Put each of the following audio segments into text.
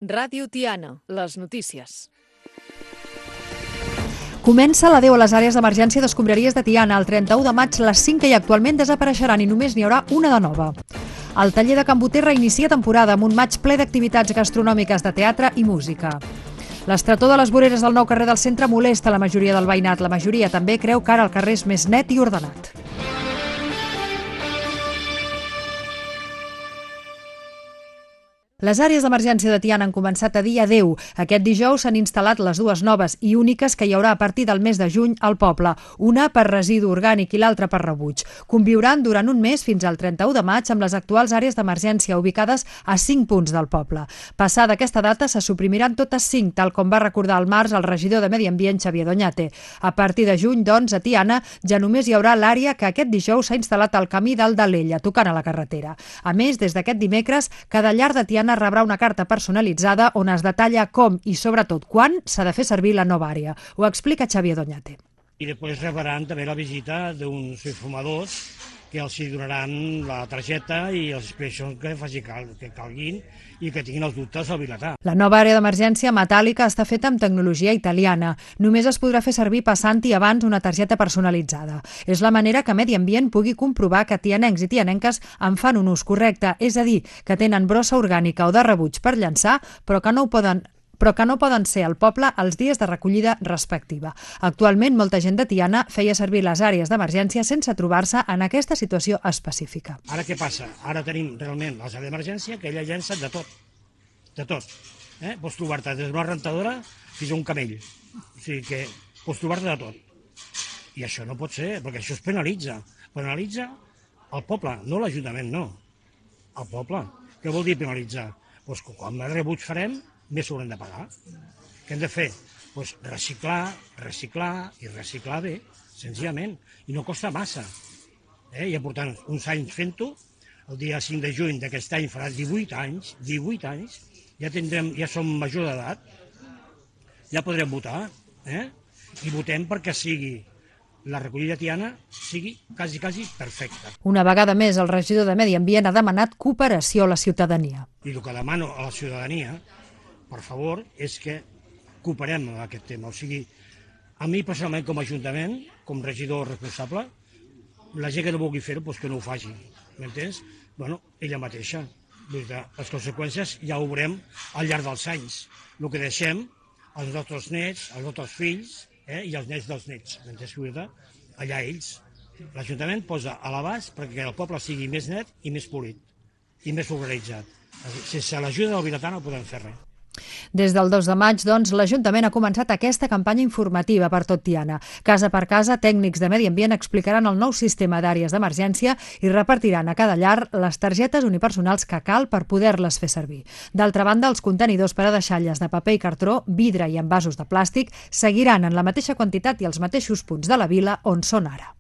Ràdio Tiana, les notícies. Comença l'adeu a les àrees d'emergència d'escombraries de Tiana. El 31 de maig les 5 que hi ha actualment desapareixeran i només n'hi haurà una de nova. El taller de Can Boter reinicia temporada amb un maig ple d'activitats gastronòmiques, de teatre i música. L'estretor de les voreres del nou carrer del centre molesta la majoria del veïnat. La majoria també creu que ara el carrer és més net i ordenat. Les àrees d'emergència de Tiana han començat a dir adeu. Aquest dijous s'han instal·lat les dues noves i úniques que hi haurà a partir del mes de juny al poble, una per residu orgànic i l'altra per rebuig. Conviuran durant un mes fins al 31 de maig amb les actuals àrees d'emergència ubicades a 5 punts del poble. Passada aquesta data se suprimiran totes 5, tal com va recordar al març el regidor de Medi Ambient, Xavier Doñate. A partir de juny, doncs, a Tiana ja només hi haurà l'àrea que aquest dijous s'ha instal·lat al camí del d'Alella, tocant a la carretera. A més, des d'aquest dimecres, cada llar de Tiana rebrà una carta personalitzada on es detalla com i sobretot quan s'ha de fer servir la nova àrea. Ho explica Xavier Doñate. I després rebran també la visita d'uns informadors que els donaran la targeta i les explicacions que calguin i que tinguin els dubtes al vilatà. La nova àrea d'emergència metàl·lica està feta amb tecnologia italiana. Només es podrà fer servir passant-hi abans una targeta personalitzada. És la manera que Medi Ambient pugui comprovar que tianencs i tianenques en fan un ús correcte, és a dir, que tenen brossa orgànica o de rebuig per llançar, però que no poden ser al poble els dies de recollida respectiva. Actualment, molta gent de Tiana feia servir les àrees d'emergència sense trobar-se en aquesta situació específica. Ara què passa? Ara tenim realment les àrees d'emergència que ella llença de tot. De tot. Pots trobar-te des d'una rentadora fins a un camell. O sigui que pots trobar-te de tot. I això no pot ser, perquè això es penalitza. Penalitza el poble, no l'Ajuntament, no. El poble. Què vol dir penalitzar? Doncs que quan més rebuig farem, més s'haurem de pagar. Què hem de fer? Doncs reciclar i reciclar bé, senzillament. I no costa massa. Ja portant uns anys fent-ho, el dia 5 de juny d'aquest any farà 18 anys, ja som major d'edat, ja podrem votar, i votem perquè sigui la recollida tiana sigui quasi perfecta. Una vegada més, el regidor de Medi Ambient ha demanat cooperació a la ciutadania. I el que demano a la ciutadania, per favor, és que cooperem en aquest tema. O sigui, a mi personalment com a Ajuntament, com regidor responsable, la gent que no vulgui fer-ho, doncs que no ho faci. M'entens? Bueno, ella mateixa. Les conseqüències ja ho veurem al llarg dels anys. El que deixem als nostres nets, als nostres fills i als nets dels nets. M'entens? Allà ells. L'Ajuntament posa a l'abast perquè el poble sigui més net i més polit i més organitzat. Sense l'ajuda del vilatà no podem fer res. Des del 2 de maig, doncs, l'Ajuntament ha començat aquesta campanya informativa per tot Tiana. Casa per casa, tècnics de Medi Ambient explicaran el nou sistema d'àrees d'emergència i repartiran a cada llar les targetes unipersonals que cal per poder-les fer servir. D'altra banda, els contenidors per a deixalles de paper i cartró, vidre i envasos de plàstic seguiran en la mateixa quantitat i als mateixos punts de la vila on són ara.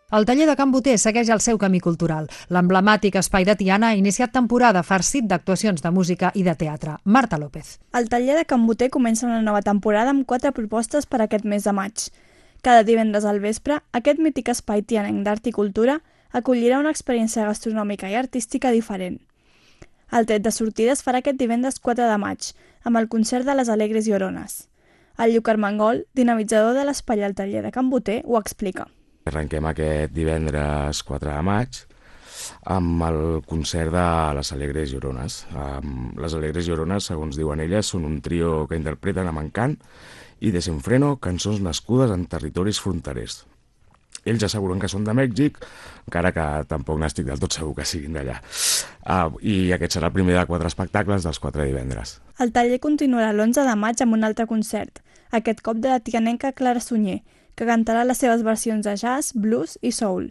El taller de Can Boter segueix el seu camí cultural. L'emblemàtic espai de Tiana ha iniciat temporada farcit d'actuacions de música i de teatre. Marta López. El taller de Can Boter comença una nova temporada amb 4 propostes per aquest mes de maig. Cada divendres al vespre, aquest mític espai tianenc d'art i cultura acollirà una experiència gastronòmica i artística diferent. El tret de sortida es farà aquest divendres 4 de maig, amb el concert de les Alegres Llorones. El Lluc Armengol, dinamitzador de l'espai al taller de Can Boter, ho explica. Arrenquem aquest divendres 4 de maig amb el concert de les Alegres Llorones. Les Alegres Llorones, segons diuen elles, són un trio que interpreten amb encant i desenfreno cançons nascudes en territoris fronterers. Ells asseguren que són de Mèxic, encara que tampoc n'estic del tot segur que siguin d'allà. I aquest serà el primer de 4 espectacles dels 4 divendres. El taller continuarà l'11 de maig amb un altre concert, aquest cop de la tianenca Clara Sunyer, que cantarà les seves versions de jazz, blues i soul.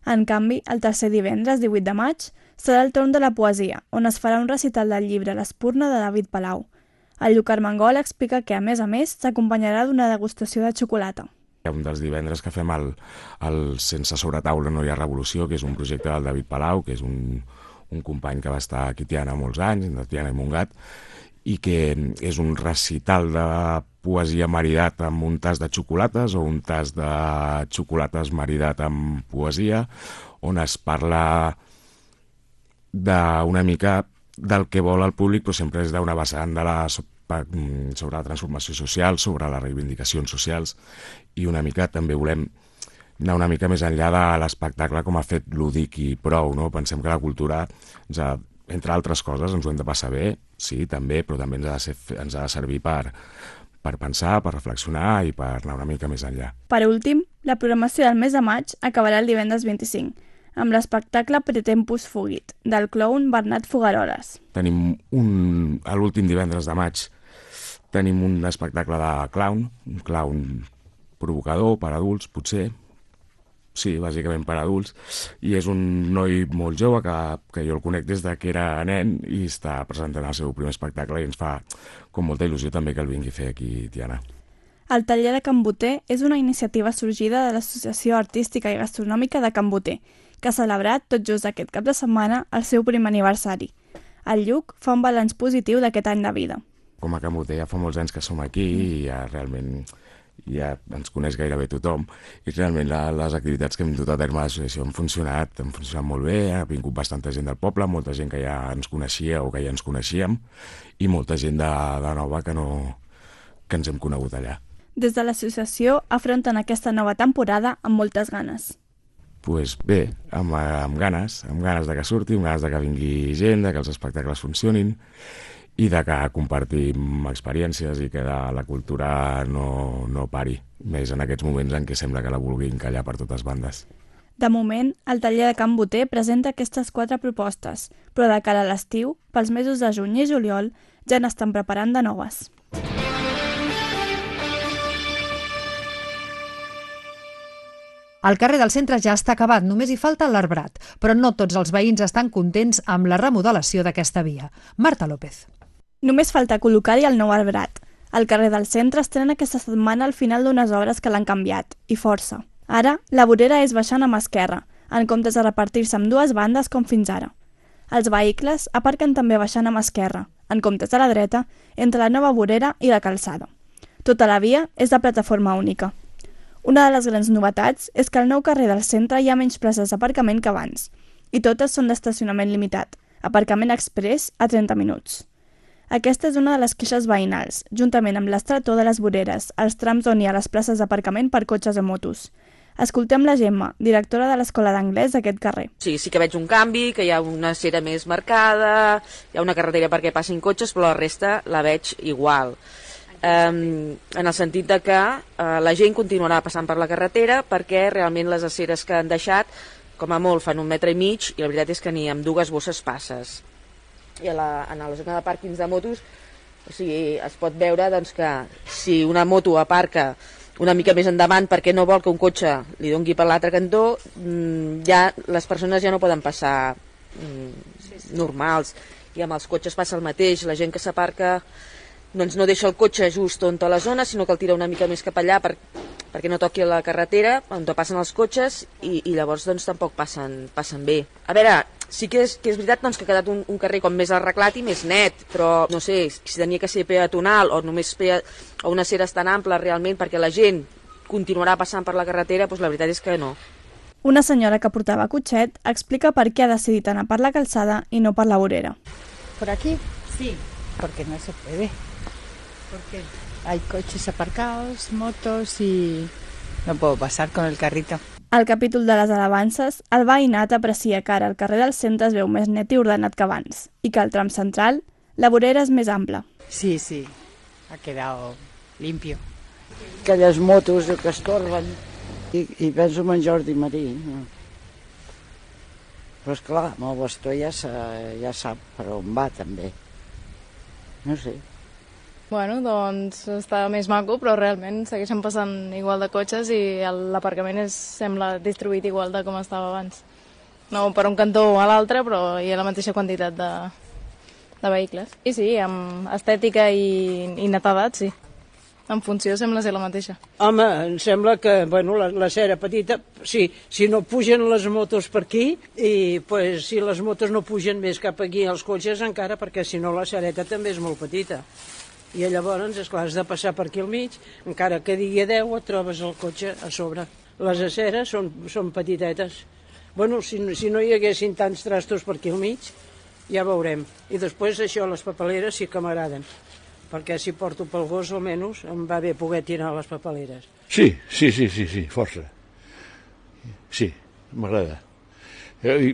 En canvi, el tercer divendres, 18 de maig, serà el torn de la poesia, on es farà un recital del llibre L'Espurna de David Palau. El Lluc Armengol explica que, a més, s'acompanyarà d'una degustació de xocolata. Un dels divendres que fem el Sense sobretaula no hi ha revolució, que és un projecte del David Palau, que és un company que va estar aquí a Tiana molts anys, de Tiana i Montgat, i que és un recital de poesia maridat amb un tas de xocolates o un tas de xocolates maridat amb poesia, on es parla d'una mica del que vol el públic, però sempre és d'una vessant sobre la transformació social, sobre les reivindicacions socials, i una mica també volem anar una mica més enllà de l'espectacle com a fet lúdic i prou, no? Pensem que la cultura, entre altres coses, ens ho hem de passar bé, sí, també, però també ens ha de servir per pensar, per reflexionar i per anar una mica més enllà. Per últim, la programació del mes de maig acabarà el divendres 25, amb l'espectacle Pretempus Fugit, del clown Bernat Fogaroles. Tenim l'últim divendres de maig, tenim un espectacle de clown, un clown provocador per adults, potser, sí, bàsicament per adults, i és un noi molt jove que jo el conec des de que era nen i està presentant el seu primer espectacle i ens fa com molta il·lusió també que el vingui a fer aquí, Tiana. El taller de Can Boter és una iniciativa sorgida de l'Associació Artística i Gastronòmica de Can Boter, que ha celebrat tot just aquest cap de setmana el seu primer aniversari. El Lluc fa un balanç positiu d'aquest any de vida. Com a Can Boter ja fa molts anys que som aquí i ja realment ja ens coneix gairebé tothom i realment les activitats que hem dut a terme a l'associació han funcionat molt bé, ha vingut bastanta gent del poble, molta gent que ja ens coneixia o que ja ens coneixíem i molta gent de nova que ens hem conegut allà. Des de l'associació afronten aquesta nova temporada amb moltes ganes. Doncs bé, amb ganes de que surti, amb ganes de que vingui gent, de que els espectacles funcionin i de que compartim experiències i que la cultura no pari, més en aquests moments en què sembla que la vulguin callar per totes bandes. De moment, el taller de Can Boter presenta aquestes 4 propostes, però de cara a l'estiu, pels mesos de juny i juliol, ja n'estan preparant de noves. El carrer del centre ja està acabat, només hi falta l'arbrat, però no tots els veïns estan contents amb la remodelació d'aquesta via. Marta López. Només falta col·locar-hi el nou arbrat. El carrer del centre estrena aquesta setmana al final d'unes obres que l'han canviat, i força. Ara, la vorera és baixant a mà esquerra, en comptes de repartir-se amb 2 bandes com fins ara. Els vehicles aparquen també baixant a mà esquerra, en comptes de la dreta, entre la nova vorera i la calçada. Tota la via és de plataforma única. Una de les grans novetats és que al nou carrer del centre hi ha menys places d'aparcament que abans, i totes són d'estacionament limitat, aparcament express a 30 minuts. Aquesta és una de les queixes veïnals, juntament amb l'estretor de les voreres, els trams on hi ha les places d'aparcament per cotxes o motos. Escoltem la Gemma, directora de l'Escola d'Anglès d'aquest carrer. Sí que veig un canvi, que hi ha una acera més marcada, hi ha una carretera perquè passin cotxes, però la resta la veig igual. En el sentit de que la gent continuarà passant per la carretera perquè realment les aceres que han deixat, com a molt, fan 1,5 metres i la veritat és que ni amb 2 bosses passes. I en la zona de pàrquings de motos, o sigui, es pot veure doncs, que si una moto aparca una mica més endavant perquè no vol que un cotxe li doni per l'altre cantó, ja les persones ja no poden passar normals, i amb els cotxes passa el mateix, la gent que s'aparca doncs no deixa el cotxe just on a la zona, sinó que el tira una mica més cap allà perquè no toqui la carretera on passen els cotxes i llavors doncs tampoc passen bé. A veure, sí que és veritat doncs, que ha quedat un carrer com més arreglat i més net, però no sé, si tenia que ser peatonal o només o una acera tan ampla realment perquè la gent continuarà passant per la carretera, doncs la veritat és que no. Una senyora que portava cotxet explica per què ha decidit anar per la calçada i no per la vorera. ¿Por aquí? Sí, porque no se puede. Porque hay coches aparcados, motos y no puedo pasar con el carrito. Al capítol de les alabances, el veïnat aprecia que ara el carrer del centre es veu més net i ordenat que abans, i que al tram central la vorera és més ampla. Sí, ha quedado limpio. Aquelles motos que estorben i penso en Jordi Marí. Però esclar, amb el bastó ja sap per on va també. No sé. Bueno, doncs està més maco, però realment segueixen passant igual de cotxes i l'aparcament sembla distribuït igual de com estava abans. No per un cantó o a l'altre, però hi ha la mateixa quantitat de vehicles. I sí, amb estètica i netedat, sí. En funció sembla ser la mateixa. Home, em sembla que la cera petita, sí, si no pugen les motos per aquí, i pues, si les motos no pugen més cap aquí als cotxes encara, perquè si no la cereta també és molt petita. I llavors, esclar, has de passar per aquí al mig, encara que digui 10 et trobes el cotxe a sobre. Les aceres són petitetes, Bueno, si no hi haguessin tants trastos per aquí al mig, ja veurem. I després això, les papeleres sí que m'agraden, perquè si porto pel gos almenys em va bé poder tirar les papeleres. Sí, força. Sí, m'agrada. Ja li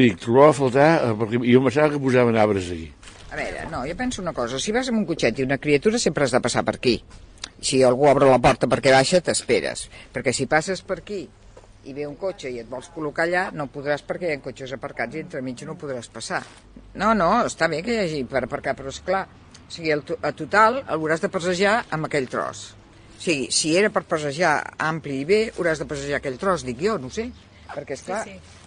dic, trobava a faltar, perquè jo em pensava que posaven arbres aquí. A veure, no, jo penso una cosa, si vas amb un cotxet i una criatura sempre has de passar per aquí. Si algú obre la porta perquè baixa, t'esperes, perquè si passes per aquí i ve un cotxe i et vols col·locar allà, no podràs perquè hi ha cotxes aparcats i entremig no podràs passar. No, està bé que hi hagi per aparcar, però esclar, o sigui, a total hauràs de passejar amb aquell tros. O sigui, si era per passejar ampli i bé, hauràs de passejar aquell tros, dic jo, no sé. Perquè, esclar,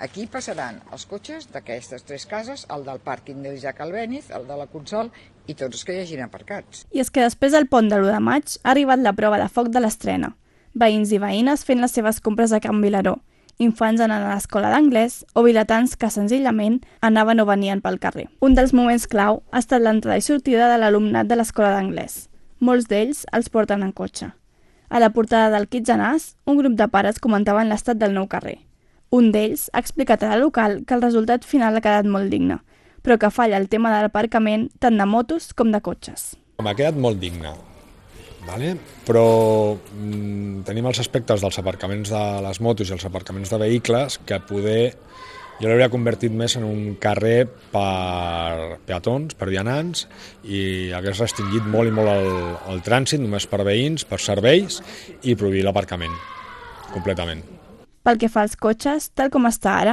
aquí passaran els cotxes d'aquestes 3 cases, el del pàrquing del Jack Albéniz, el de la Consol i tots els que hi hagin aparcats. I és que després del pont de l'1 de maig ha arribat la prova de foc de l'estrena. Veïns i veïnes fent les seves compres a Can Vilaró, infants anant a l'escola d'anglès o vilatans que senzillament anaven o venien pel carrer. Un dels moments clau ha estat l'entrada i sortida de l'alumnat de l'escola d'anglès. Molts d'ells els porten en cotxe. A la portada del Kitsanàs, un grup de pares comentaven l'estat del nou carrer. Un d'ells ha explicat a la local que el resultat final ha quedat molt digne, però que falla el tema de l'aparcament tant de motos com de cotxes. M'ha quedat molt digne, vale? Però tenim els aspectes dels aparcaments de les motos i els aparcaments de vehicles que poder jo l'hauria convertit més en un carrer per peatons, per vianants, i hagués restringit molt i molt el trànsit, només per veïns, per serveis, i prohibir l'aparcament, completament. Pel que fa als cotxes, tal com està ara,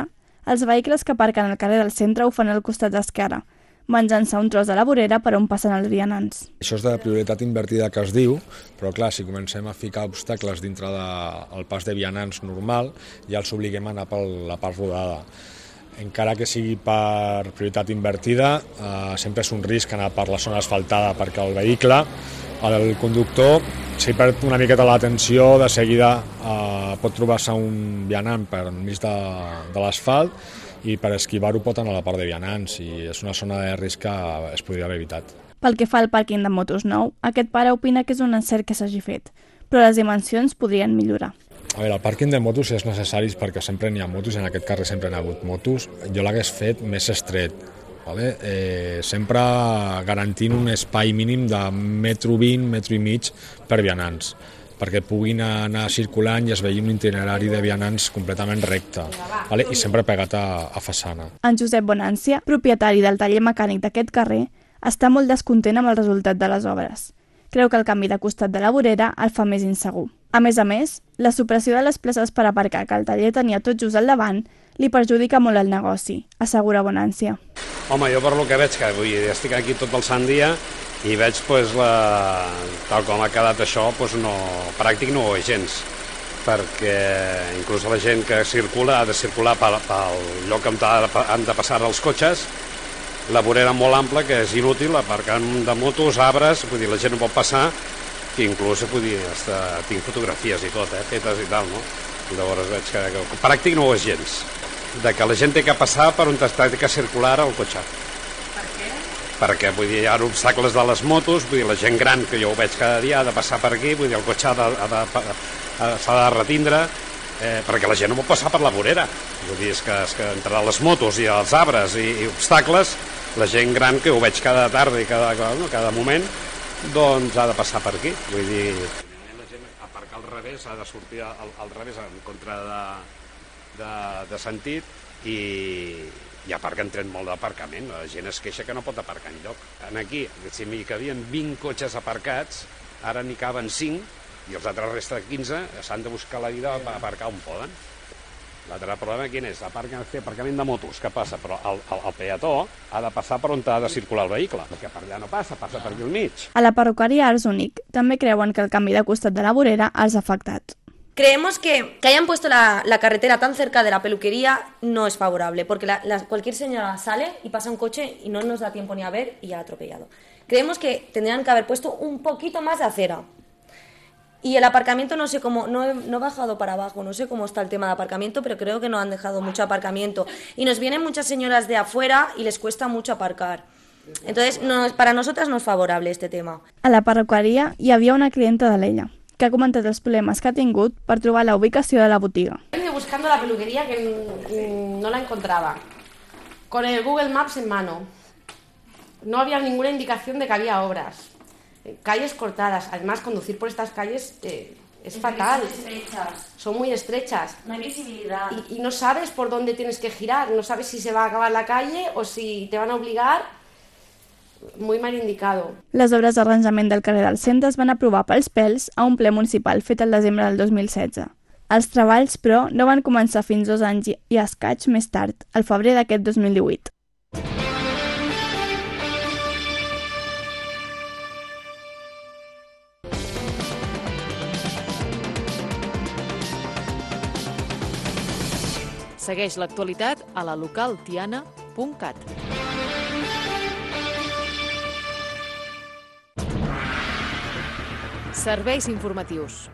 els vehicles que aparquen al carrer del centre ho fan al costat esquerre, menjant-se un tros de la vorera per on passen els vianants. Això és de la prioritat invertida que es diu, però clar, si comencem a ficar obstacles dintre del pas de vianants normal, ja els obliguem a anar per la part rodada. Encara que sigui per prioritat invertida, sempre és un risc anar per la zona asfaltada, perquè el vehicle, el conductor, si perd una miqueta l'atenció, de seguida pot trobar-se un vianant per enmig de l'asfalt i per esquivar-ho pot anar a la part de vianants, i és una zona de risc que es podria haver evitat. Pel que fa al pàrquing de motos nou, aquest pare opina que és un encert que s'hagi fet, però les dimensions podrien millorar. A veure, el pàrquing de motos és necessari perquè sempre n'hi ha motos, i en aquest carrer sempre n'hi ha hagut motos. Jo l'hagués fet més estret, vale? Sempre garantint un espai mínim de 1,20 m, 1,5 m per vianants, perquè puguin anar circulant i es vegi un itinerari de vianants completament recte, vale? I sempre pegat a façana. En Josep Bonància, propietari del taller mecànic d'aquest carrer, està molt descontent amb el resultat de les obres. Creu que el canvi de costat de la vorera el fa més insegur. A més, la supressió de les places per aparcar que el taller tenia tot just al davant li perjudica molt el negoci, assegura Bonància. Home, jo per lo que veig, que vull dir, estic aquí tot el sant dia i veig, tal com ha quedat això, pràctic no ho és gens, perquè inclús la gent que circula ha de circular pel lloc on han de passar els cotxes, la vorera molt ampla, que és inútil, aparcant de motos, arbres, vull dir, la gent no pot passar, que inclús tinc fotografies i tot, fetes i tal, no? Llavors veig que pràctic no ho és gens, de que la gent té que passar per on està que circular el cotxe. Per què? Perquè, vull dir, hi ha obstacles de les motos, vull dir, la gent gran, que jo ho veig cada dia, ha de passar per aquí, vull dir, el cotxe s'ha de retindre, perquè la gent no pot passar per la vorera. Vull dir, és que entre les motos i els arbres i obstacles, la gent gran, que ho veig cada tarda i cada moment, doncs ha de passar per aquí. Vull dir, la gent aparcar al revés, ha de sortir al revés en contra de sentit, i aparquen tren molt d'aparcament. La gent es queixa que no pot aparcar enlloc. Aquí, si m'hi cabien 20 cotxes aparcats, ara n'hi caben 5, i els altres resta 15 s'han de buscar la vida per aparcar on poden. L'altre problema quin és? Aparcament de motos, que passa? Però el peató ha de passar per on ha de circular el vehicle, perquè per allà no passa per aquí al mig. A la perruqueria Arts Únic també creuen que el canvi de costat de la vorera els ha afectat. Creemos que hayan puesto la carretera tan cerca de la peluquería no es favorable, porque cualquier señora sale y pasa un coche y no nos da tiempo ni a ver y ya ha atropellado. Creemos que tendrían que haber puesto un poquito más de acera. Y el aparcamiento no sé cómo, no he bajado para abajo, no sé cómo está el tema de aparcamiento, pero creo que no han dejado mucho aparcamiento. Y nos vienen muchas señoras de afuera y les cuesta mucho aparcar. Entonces, para nosotras no es favorable este tema. A la perruqueria hi havia una clienta de l'Ella, que ha comentat els problemes que ha tingut per trobar la ubicació de la botiga. Me buscando la peluquería que no la encontraba. Con el Google Maps en mano. No había ninguna indicación de que había obras. Calles cortadas. Además, conducir por estas calles es fatal. Son muy estrechas. No hay visibilidad. Y no sabes por dónde tienes que girar. No sabes si se va a acabar la calle o si te van a obligar. Muy mal indicado. Les obres d'arranjament del carrer del Centre es van aprovar pels pèls a un ple municipal fet el desembre del 2016. Els treballs, però, no van començar fins 2 anys i escaig més tard, al febrer d'aquest 2018. Segueix l'actualitat a la localtiana.cat. Serveis informatius.